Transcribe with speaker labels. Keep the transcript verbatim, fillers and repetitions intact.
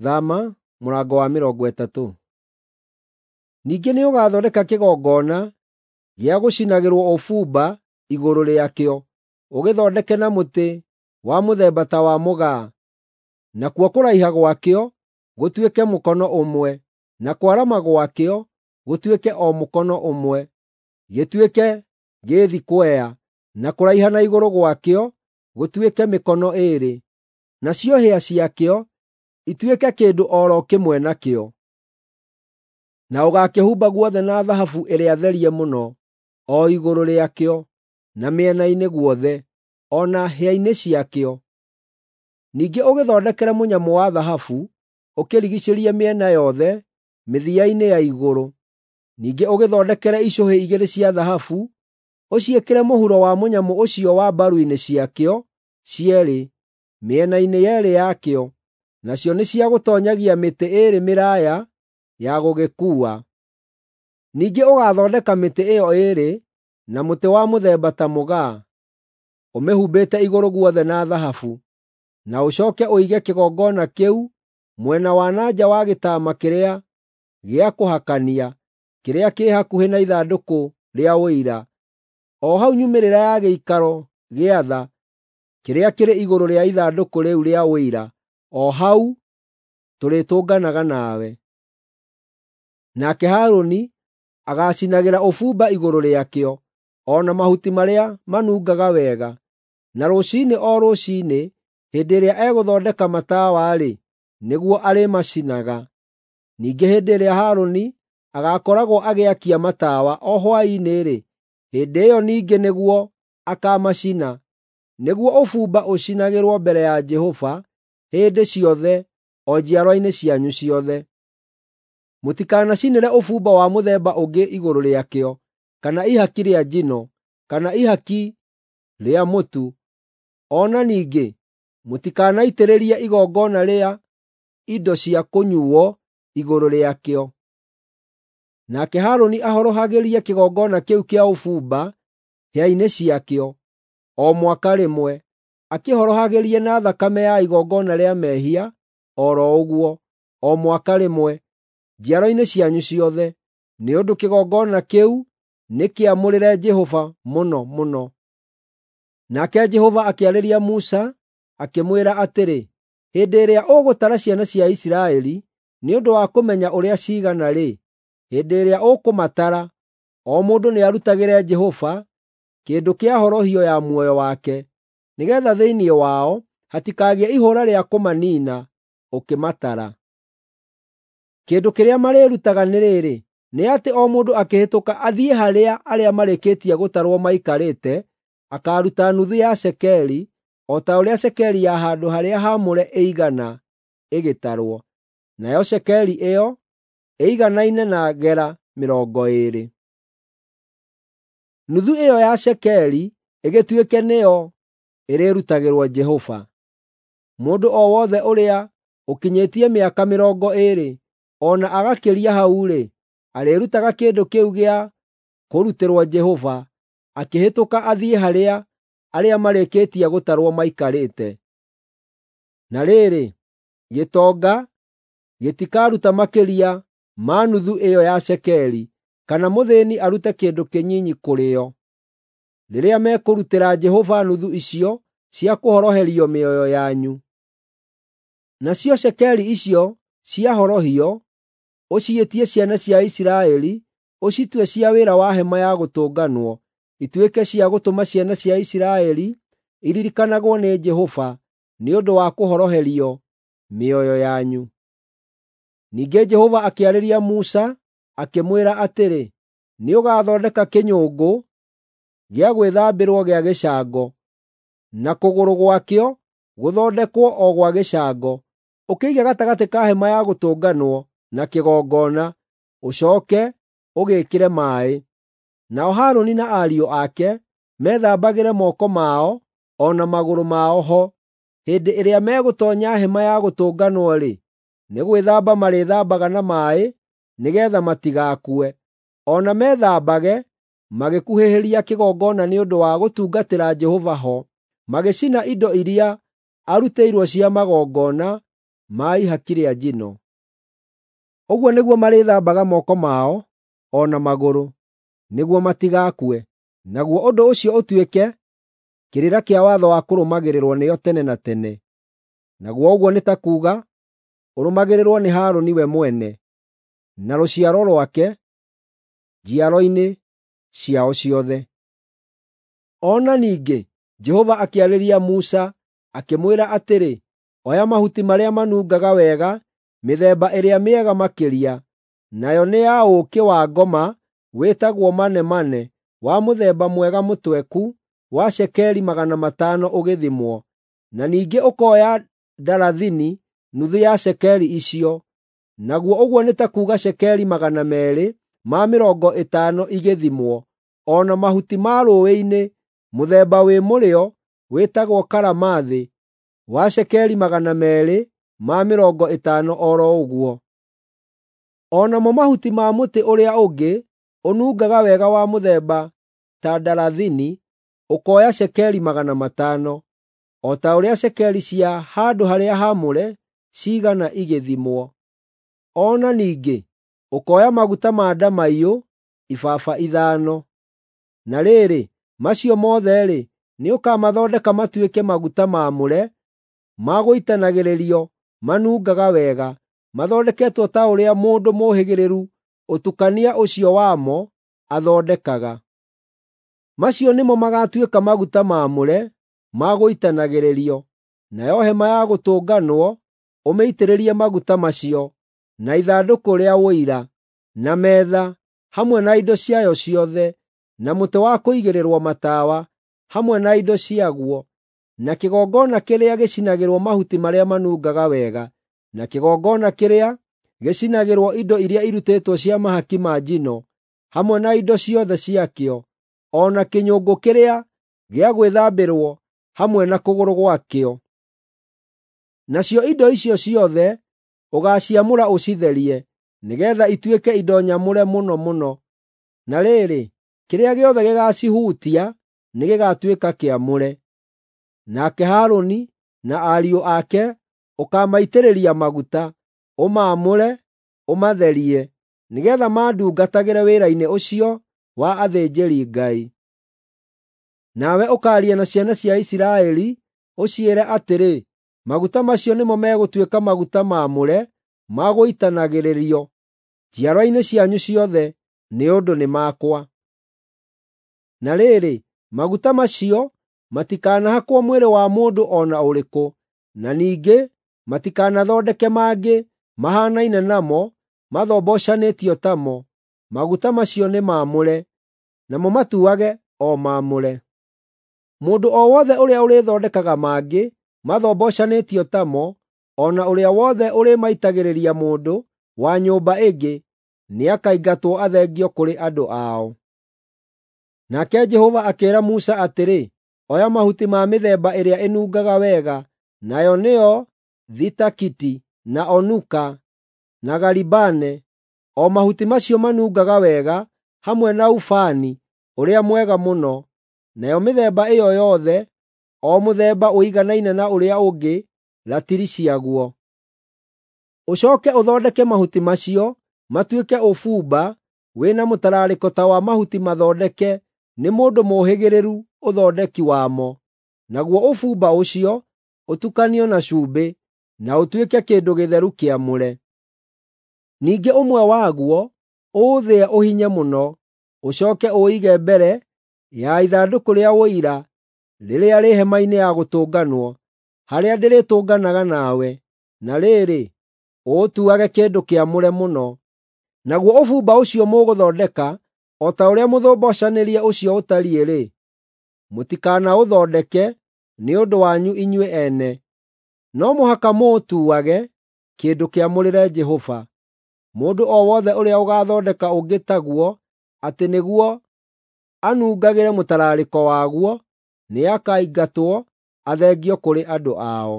Speaker 1: Thama mũrango wa mĩrongo ĩtatũ. Ningĩ nĩũgathondeka kĩgongona gĩa gũcinagĩrwo ũbumba igũrũ rĩakĩo, ũgĩthondeke na mũtĩ wa mũthemba ta wa mũgaa. Nakuo kũraiha gwakĩo gũtuĩke mũkono ũmwe, na kwarama gwakĩo gũtuĩke o mũkono ũmwe, gĩtuĩke gĩthikwea, na kũraiha na igũrũ gwakĩo gũtuĩke mĩkono ĩĩrĩ, nacio hĩa ciakĩo ituĩke kĩndũ o ro kĩmwe nakĩo. Na ũgaakĩhumba guothe na thahabu ĩrĩa therie mũno, o igũrũ rĩakĩo, na mĩena-inĩ guothe, o na hĩa-inĩ ciakĩo. Ningĩ ũgĩthondekere mũnyamũ wa thahabu, ũkĩrigiicĩrie mĩena yothe mĩthia-inĩ ya igũrũ. Ningĩ ũgĩthondekere icũhĩ igĩrĩ cia thahabu, ũciĩkĩre mũhuro wa mũnyamũ ũcio wa mbaru-inĩ ciakĩo cierĩ, mĩena-inĩ yeerĩ yakĩo, nacio nĩ cia gũtoonyagia mĩtĩ ĩĩrĩ mĩraaya ya gũgĩkuua. Ningĩ ũgaathondeka mĩtĩ ĩyo ĩĩrĩ na mũtĩ wa mũthemba ta mũgaa, ũmĩhumbĩte igũrũ guothe na thahabu. Na ũcooke ũige kĩgongona kĩu mwena wa na nja wa gĩtama kĩrĩa gĩa kũhakania kĩrĩa kĩ hakuhĩ na ithandũkũ rĩa Ũira, o hau nyumĩrĩra ya gĩikaro gĩa tha kĩrĩa kĩrĩ igũrũ rĩa ithandũkũ rĩu rĩa Ũira, o hau tũrĩtũnganaga nawe. Nake Harũni agaacinagĩra ũbumba igũrũ rĩakĩo, o na mahuti marĩa manungaga wega. Na rũciinĩ o rũciinĩ hĩndĩ ĩrĩa egũthondeka matawa-rĩ, nĩguo arĩmacinaga. Ningĩ hĩndĩ ĩrĩa Harũni agaakoragwo agĩakia matawa o hwaĩ-inĩ-rĩ, hĩndĩ ĩyo ningĩ nĩguo akaamacina, nĩguo ũbumba ũcinagĩrwo mbere ya Jehova hĩndĩ ciothe o njiarwa-inĩ cianyu ciothe. Mũtikanacinĩre ũbumba wa mũthemba ũngĩ igũrũ rĩakĩo, kana ihaki rĩa njino, kana ihaki rĩa mũtu. O na ningĩ mũtikanaitĩrĩrie igongona rĩa indo cia kũnyuuo igũrũ rĩakĩo. Nake Harũni ahorohagĩrie kĩgongona kĩu kĩa ũbumba hĩa-inĩ ciakĩo o mwaka rĩmwe, akĩhorohagĩrie na thakame ya igongona rĩa mehia o ro ũguo, o mwaka rĩmwe, njiarwa-inĩ cianyu ciothe, nĩ ũndũ kĩgongona kĩu nĩ kĩamũrĩre Jehova mũno mũno. Nake Jehova akĩarĩria Musa, akĩmwĩra atĩrĩ, “Hĩndĩ ĩrĩa ũgũtara ciana cia Isiraeli nĩ ũndũ wa kũmenya ũrĩa ciigana-rĩ, hĩndĩ ĩrĩa ũkũmatara, o mũndũ nĩarutagĩre Jehova kĩndũ kĩa horohio ya muoyo wake, nĩgeetha thĩinĩ wao hatikagĩe ihũũra rĩa kũmaniina ũkĩmatara. Kĩndũ kĩrĩa marĩĩrutaga nĩ rĩrĩ, nĩ atĩ o mũndũ akĩhĩtũka athiĩ harĩa arĩa marĩkĩtie gũtarwo maikarĩte, akaaruta nuthu ya cekeri, o ta ũrĩa cekeri ya handũ-harĩa-haamũre ĩigana ĩgĩtarwo, nayo cekeri ĩyo ĩiganaine na gera mĩrongo ĩĩrĩ. Nuthu ĩyo ya cekeri ĩgĩtuĩke nĩyo ĩrĩrutagĩrwo Jehova. Mũndũ o wothe ũrĩa ũkinyĩtie mĩaka mĩrongo ĩĩrĩ o na agakĩria hau-rĩ, arĩĩrutaga kĩndũ kĩu gĩa kũrutĩrwo Jehova akĩhĩtũka athiĩ harĩa arĩa marĩkĩtie gũtarwo maikarĩte. Na rĩrĩ, gĩtonga gĩtikaruta makĩria ma nuthu ĩyo ya cekeri, kana mũthĩĩni arute kĩndũ kĩnyinyi kũrĩ yo, rĩrĩa mekũrutĩra Jehova nuthu icio cia kũhoroherio mĩoyo yanyu. Nacio cekeri icio cia horohio ũciĩtie ciana cia Isiraeli, ũcitue cia wĩra wa Hema-ya-Gũtũnganwo, ituĩke cia gũtũma ciana cia Isiraeli iririkanagwo nĩ Jehova nĩ ũndũ wa kũhoroherio mĩoyo yanyu. Ningĩ Jehova akĩarĩria Musa, akĩmwĩra atĩrĩ, “Nĩũgathondeka kĩnyũngũ gĩa gwĩthambĩrwo gĩa gĩcango, na kũgũrũ gwakĩo gũthondekwo o gwa gĩcango, ũkĩige gatagatĩ ka Hema-ya-Gũtũnganwo na kĩgongona, ũcooke ũgĩĩkĩre maaĩ. Nao Harũni na ariũ ake methambagĩre moko mao o na magũrũ mao ho. Hĩndĩ ĩrĩa megũtoonya Hema-ya-Gũtũnganwo-rĩ, nĩ gwĩthamba marĩĩthambaga na maaĩ nĩgeetha matigakue. O na methambage magĩkuhĩhĩria kĩgongona nĩ ũndũ wa gũtungatĩra Jehova ho, magĩcina indo iria arutĩirwo cia magongona ma ihaki rĩa njino. Ũguo nĩguo marĩthambaga moko mao o na magũrũ, nĩguo matigakue. Naguo ũndũ ũcio ũtuĩke kĩrĩra kĩa watho wa kũrũmagĩrĩrwo nĩo tene na tene. Naguo ũguo nĩ ta kuuga ũrũmagĩrĩrwo nĩ Harũni we mwene, na rũciaro rwake, njiaro-inĩ ciao ciothe. O na ningĩ Jehova akĩarĩria Musa, akĩmwĩra atĩrĩ, “Oya mahuti marĩa manungaga wega, mĩthemba ĩrĩa mĩega makĩria, nayo nĩ ya ũũkĩ wa ngoma wĩtagwo manemane wa mũthemba mwega mũtweku wa cekeri magana matano ũgĩthimwo, na ningĩ ũkoya ndarathini nuthu ya cekeri icio, naguo ũguo nĩ ta kuuga cekeri magana meerĩ ma mĩrongo ĩtano igĩthimwo, o na mahuti ma rũũĩ-inĩ mũthemba wĩ mũrĩo wĩtagwo karamathi wa cekeri magana meerĩ ma mĩrongo ĩtano o ro ũguo. O namo mahuti ma mũtĩ ũrĩa ũngĩ ũnungaga wega wa mũthemba ta ndarathini ũkoya cekeri magana matano, o ta ũrĩa cekeri cia handũ-harĩa-haamũre ciigana igĩthimwo. O na ningĩ ũkoya maguta ma ndamaiyũ ibaba ithano. Na rĩrĩ, macio mothe-rĩ, nĩũkamathondeka matuĩke maguta maamũre ma gũitanagĩrĩrio manungaga wega, mathondeketwo ta ũrĩa mũndũ mũũhĩgĩrĩru ũtukania ũcio wamo athondekaga. Macio nĩmo magaatuĩka maguta maamũre ma gũitanagĩrĩrio. Nayo Hema-ya-Gũtũnganwo ũmĩitĩrĩrie maguta macio, na ithandũkũ rĩa Ũira, na metha hamwe na indo ciayo ciothe, na mũtĩ wa kũigĩrĩrwo matawa hamwe na indo ciaguo, na kĩgongona kĩrĩa gĩcinagĩrwo mahuti marĩa manungaga wega, na kĩgongona kĩrĩa gĩcinagĩrwo indo iria irutĩtwo cia mahaki ma njino, hamwe na indo ciothe ciakĩo, o na kĩnyũngũ kĩrĩa gĩa gwĩthambĩrwo hamwe na kũgũrũ gwakĩo. Nacio indo icio ciothe ũgaaciamũra ũcitherie, nĩgeetha ituĩke indo nyamũre mũno mũno. Na rĩrĩ, kĩrĩa gĩothe gĩgaacihutia nĩgĩgatuĩka kĩamũre. Nake Harũni na ariũ ake ũkaamaitĩrĩria maguta, ũmaamũre, ũmatherie, nĩgeetha mandungatagĩre wĩra-inĩ ũcio wa athĩnjĩri-Ngai. Nawe ũkaaria na ciana cia Isiraeli ũciĩre atĩrĩ, maguta macio nĩmo megũtuĩka maguta maamũre ma gũitanagĩrĩrio njiarwa-inĩ cianyu ciothe, nĩ ũndũ nĩ makwa. Na rĩrĩ, maguta macio matikanahakwo mwĩrĩ wa mũndũ o na ũrĩkũ, na ningĩ matikanathondeke mangĩ mahaanaine namo mathombocanĩtio tamo. Maguta macio nĩ maamũre, namo matuage o maamũre. Mũndũ o wothe ũrĩa ũrĩthondekaga mangĩ mathombocanĩtio tamo, o na ũrĩa wothe ũrĩmaitagĩrĩria mũndũ wa nyũmba ĩngĩ, nĩakaingatwo athengio kũrĩ andũ ao. Nake Jehova akĩĩra Musa atĩrĩ, “Oya mahuti ma mĩthemba ĩrĩa ĩnungaga wega, nayo nĩyo thitakiti, na onuka, na garibane, o mahuti macio manungaga wega, hamwe na ubani ũrĩa mwega mũno, nayo mĩthemba ĩyo yothe, o mũthemba ũiganaine na ũrĩa ũngĩ ratiri ciaguo. Ũcooke ũthondeke mahuti macio matuĩke ũbumba wĩna mũtararĩko ta wa mahuti mathondeke nĩ mũndũ mũũhĩgĩrĩru ũthondeki wamo, naguo ũbumba ũcio ũtukanio na cumbĩ, na ũtuĩke kĩndũ gĩtheru kĩamũre. Ningĩ ũmwe waguo ũũthĩe ũhinye mũno, ũcooke ũũige mbere ya ithandũkũ rĩa Ũira rĩrĩa rĩ Hema-inĩ ya Gũtũnganwo, harĩa ndĩrĩtũnganaga nawe. Na rĩrĩ, ũũtuage kĩndũ kĩamũre mũno. Naguo ũbumba ũcio mũgũthondeka o ta ũrĩa mũthombocanĩrie ũcio ũtariĩ-rĩ, mũtikanaũthondeke nĩ ũndũ wanyu inyuĩ ene. No mũhaka mũũtuage kĩndũ kĩamũrĩre Jehova. Mũndũ o wothe ũrĩa ũgaathondeka ũngĩ taguo atĩ nĩguo anungagĩre mũtararĩko waguo, nĩakaingatwo athengio kũrĩ andũ ao.